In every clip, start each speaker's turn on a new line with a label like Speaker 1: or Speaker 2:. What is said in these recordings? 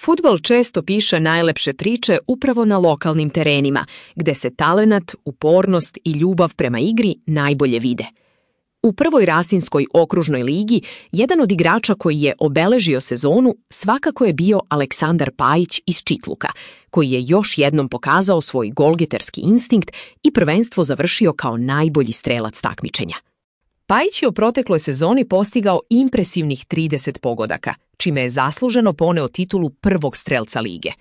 Speaker 1: Fudbal često piše najlepše priče upravo na lokalnim terenima, gde se talenat, upornost i ljubav prema igri najbolje vide. U prvoj Rasinskoj okružnoj ligi, jedan od igrača koji je obeležio sezonu svakako je bio Aleksandar Pajić iz Čitluka, koji je još jednom pokazao svoj golgeterski instinkt i prvenstvo završio kao najbolji strelac takmičenja. Pajić je u protekloj sezoni postigao impresivnih 30 pogodaka, čime je zasluženo poneo titulu prvog strelca lige.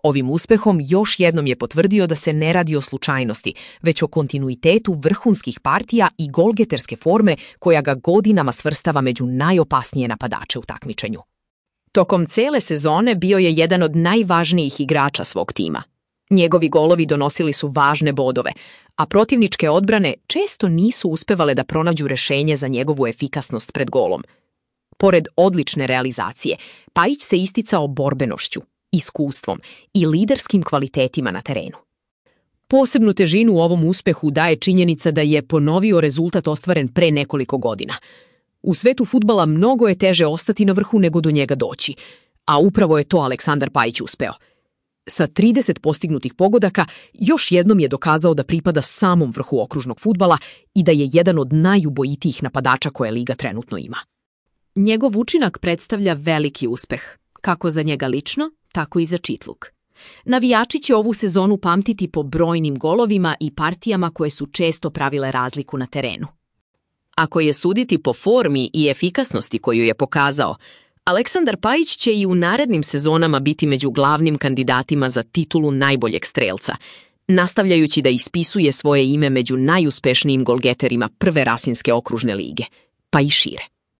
Speaker 1: Ovim uspehom još jednom je potvrdio da se ne radi o slučajnosti, već o kontinuitetu vrhunskih partija i golgeterske forme koja ga godinama svrstava među najopasnije napadače u takmičenju. Tokom cele sezone bio je jedan od najvažnijih igrača svog tima. Njegovi golovi donosili su važne bodove, a protivničke odbrane često nisu uspevale da pronađu rešenje za njegovu efikasnost pred golom. Pored odlične realizacije, Pajić se isticao borbenošću, iskustvom i liderskim kvalitetima na terenu. Posebnu težinu u ovom uspehu daje činjenica da je ponovio rezultat ostvaren pre nekoliko godina. U svetu fudbala mnogo je teže ostati na vrhu nego do njega doći, a upravo je to Aleksandar Pajić uspeo. Sa 30 postignutih pogodaka još jednom je dokazao da pripada samom vrhu okružnog fudbala i da je jedan od najubojitijih napadača koje liga trenutno ima. Njegov učinak predstavlja veliki uspeh, kako za njega lično, tako i za Čitluk. Navijači će ovu sezonu pamtiti po brojnim golovima i partijama koje su često pravile razliku na terenu. Ako je suditi po formi i efikasnosti koju je pokazao, Aleksandar Pajić će i u narednim sezonama biti među glavnim kandidatima za titulu najboljeg strelca, nastavljajući da ispisuje svoje ime među najuspešnijim golgeterima prve Rasinske okružne lige, pa i šire.